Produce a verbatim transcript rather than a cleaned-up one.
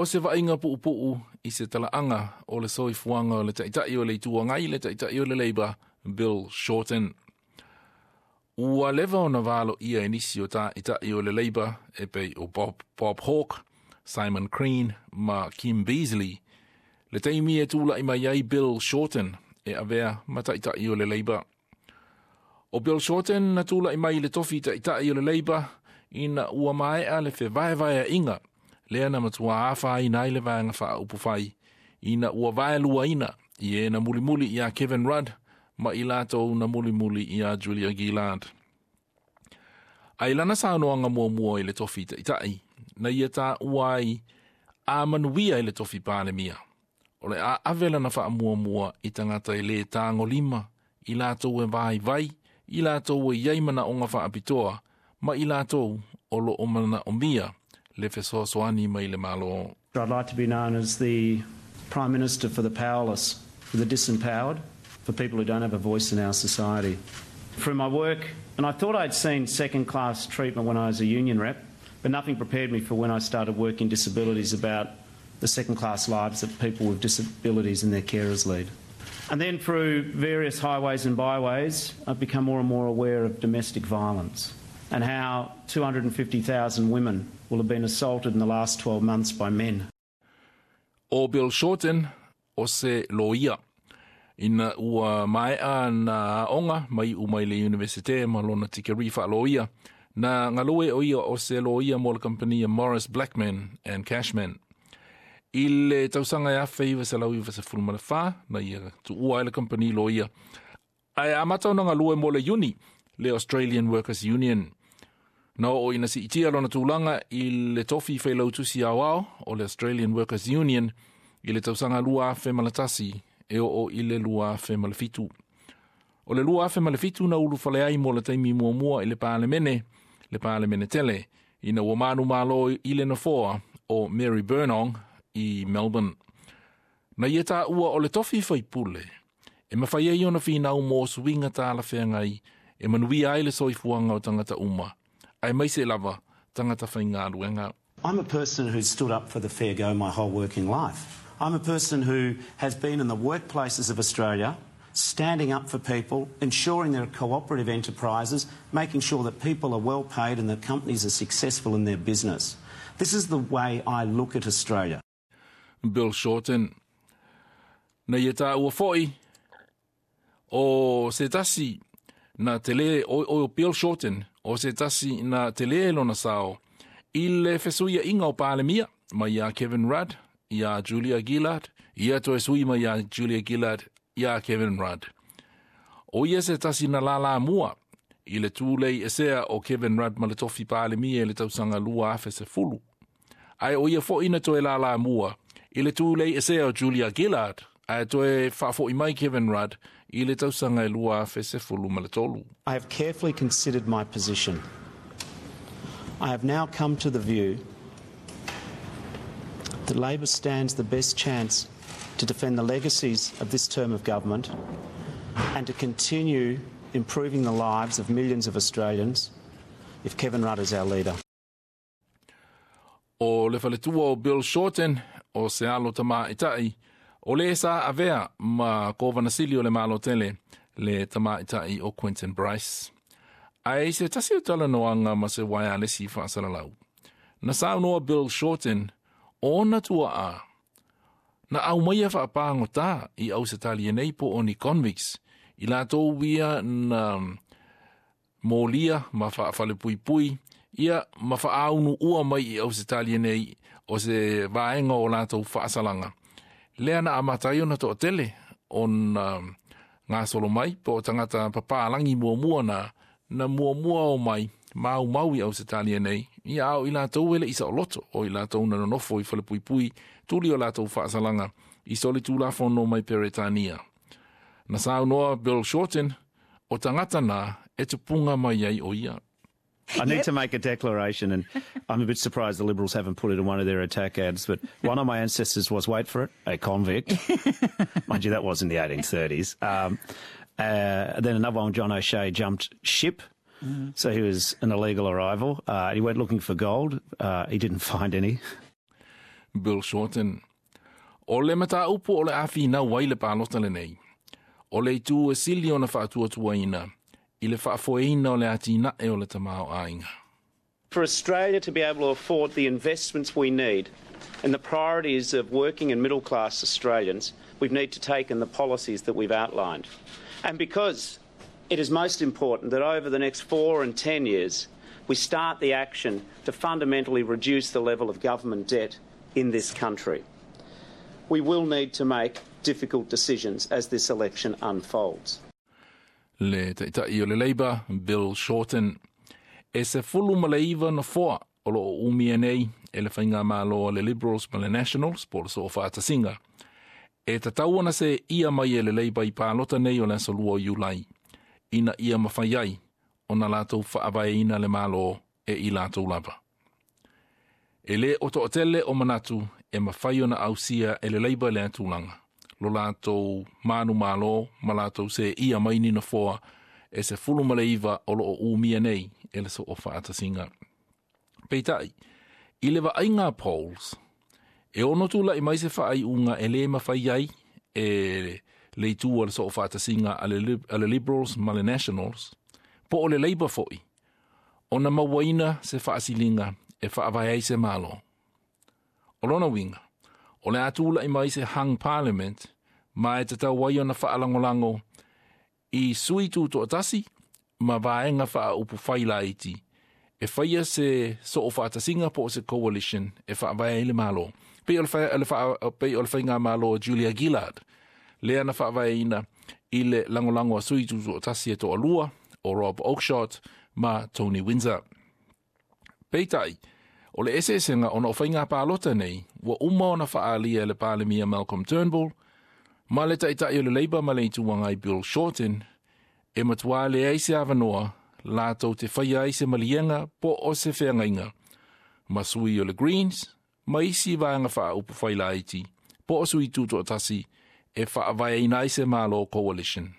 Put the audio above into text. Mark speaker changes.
Speaker 1: O se vaaiga puupuu i se talaaga o le soifuaga o le Taitai o le Itu Agai, le Taitai o le Labour, Bill Shorten. Ua leva ona valoia e nisi o taitai o le Labour e pei o Bob, Bob Hawke, Simon Crean ma Kim Beazley le taimi e tula'i mai ai Bill Shorten e avea ma Taitai o le Labour. O Bill Shorten na tula'i mai i le tofi Taitai o le Labour ina ua maea le fevaevaea'iga lea na matuā afaina ai le Vaega Faaupufai ina ua vaeluaina i e na mulimuli iā Kevin Rudd ma i latou na mulimuli iā Julia Gillard. Ae i lana saunoaga muamua i le tofi Taitai, na ia taua ai a manuia i le tofi Palemia, o le a ave lana faamuamua i tagata e lē tagolima, i latou e vaivai, i latou e i ai manaoga faapitoa ma i latou o loo manaomia le fesoasoani mai le Malo.
Speaker 2: I'd like to be known as the Prime Minister for the powerless, for the disempowered, for people who don't have a voice in our society. Through my work, and I thought I'd seen second class treatment when I was a union rep, but nothing prepared me for when I started working disabilities about the second class lives that people with disabilities and their carers lead. And then through various highways and byways, I've become more and more aware of domestic violence and how two hundred fifty thousand women will have been assaulted in the last twelve months by men.
Speaker 1: O Bill Shorten o se loia. Ina ua maea na aoga ma iu mai le Universite ma lona tikeri faaloia, na galue o ia o se loia mo le kampania Maurice Blackman and Cashman. I le tausaga e afe iva selau iva sefulu ma le fa, na ia tuua ai le kampani loia. Ae amata ona galue mo le Uni, le Australian Workers Union. Na oo ina siitia lona tulaga i le tofi Failautusi Aoao o le Australian Workers Union i le tausaga lua afe ma le tasi e oo i le lua afe ma le fitu. O le lua afe ma le fitu na ulufale ai mo le taimi muamua i le Palemene, le Palemene tele, ina ua manumalo i le nofoa o Mary Burnong i Melbourne. Na ia taua o le tofi faipule, e mafai ai ona finau mo suiga talafeagai e manuia ai le soifuaga o tagata uma, aemaise lava tagata faigaluega.
Speaker 2: I'm a person who's stood up for the fair go my whole working life. I'm a person who has been in the workplaces of Australia, standing up for people, ensuring there are cooperative enterprises, making sure that people are well paid and that companies are successful in their business. This is the way I look at Australia.
Speaker 1: Bill Shorten. Na ia taua fo'i o se tasi na tele o, o Bill Shorten o se tasi na tele lona sao i le fesuia'iga o Palemia mai iā Kevin Rudd iā Julia Gillard, ia toe sui mai iā Julia Gillard iā Kevin Rudd. O ia se tasi na lalamua i le tulei esea o Kevin Rudd ma le tofi Palemia i le tausaga lua afe sefulu. Ae o ia fo'i na toe lalamua i le tulei esea o Julia Gillard ae toe faafo'i mai Kevin Rudd i le tausaga e lua afe sefulu ma le tolu.
Speaker 2: I have carefully considered my position. I have now come to the view that Labor stands the best chance to defend the legacies of this term of government and to continue improving the lives of millions of Australians if Kevin Rudd is our leader.
Speaker 1: O le faletua o Bill Shorten o se alo tamaʻitaʻi o le sa avea ma Kovanasili o le Malo tele, le tamaʻitaʻi o Quentin Bryce. Ae i se tasi o talanoaga ma se waialesi faasalalau, na saunoa Bill Shorten o ona tuaa na aumaia faapagotā i Ausetalia nei po o ni convicts i latou ia na molia ma faafalepuipui ia ma faaunuua mai i Ausetalia nei o se vaega o latou faasalaga. Lea na amata ai ona toatele ona gasolo mai po o tagata papalagi muamua na na muamua o mai maumau i Ausetalia nei, ia a o i latou e leʻi saoloto, o i latou na nonofo i falepuipui tuli o latou faasalaga i solitulafono mai Peretania. Na saunoa Bill Shorten o tagata na e tupuga mai ai o ia.
Speaker 2: I need to make a declaration, and I'm a bit surprised the Liberals haven't put it in one of their attack ads. But one of my ancestors was, wait for it, a convict. Mind you, that was in the eighteen thirties. Um, uh, then another one, John O'Shea, jumped ship. Mm. So he was an illegal arrival. Uh, he went looking for gold. Uh, he didn't find any.
Speaker 1: Bill Shorten. O le mataupu o le a finau ai le palota lenei. O le itu e sili ona faatuatuaina i le faafoeina o le atinae o le tamaoaiga.
Speaker 2: For Australia to be able to afford the investments we need and the priorities of working and middle class Australians, we need to take in the policies that we've outlined. And because it is most important that over the next four and ten years, we start the action to fundamentally reduce the level of government debt in this country. We will need to make difficult decisions as this election unfolds.
Speaker 1: Le Taitai o le Labour, Bill Shorten. E sefulu ma le iva nofoa o lo o umia nei e le faigamalo a le Liberals ma le Nationals po o le Soofaatasiga. E tatau ona seeia mai e le Labour i palota nei o le aso lua o Iulai, ina ia mafai ai ona latou faavaeina le Malo e i latou lava. E le o toatele o manatu e mafai ona ausia e le Labour lea tulaga, lo latou manumalo ma latou seeia mai ni nofoa e sefulu ma le iva o lo o umia nei e le Soofaatasiga. Peitai, i le vaaiga a polls, e ono tulai mai se faaiuga e le mafai ai e le itu o le Soofaatasiga a le, a le Liberals ma le Nationals, po o le Labour foi, ona mauaina se faasiliga e faavae ai se Malo. O lona uiga, o le a tulai mai se hung parliament, ma e tatau ai ona faalagolago i sui tutoatasi ma vaega faaupufai laiti e faia se soofaatasiga po o se coalition e faavae ai le Malo. Pei o le, fa, le, fa, pei o le faigamalo Julia Gillard, lea na faavaeina i le lagolago a sui tutoatasi e toalua o Rob Oakeshott ma Tony Windsor. Peitai, o le eseesega ona o faiga palota nei, ua uma ona faaalia e le Palemia Malcolm Turnbull, ma le Taitai o le Labour ma le Itu Agai Bill Shorten, e matua leai se avanoa latou te faia ai se maliega po o se feagaiga, ma sui o le Greens, ma isi vaega faaupufai laiti, po o sui tutoatasi e faavaeina ai se Malo coalition.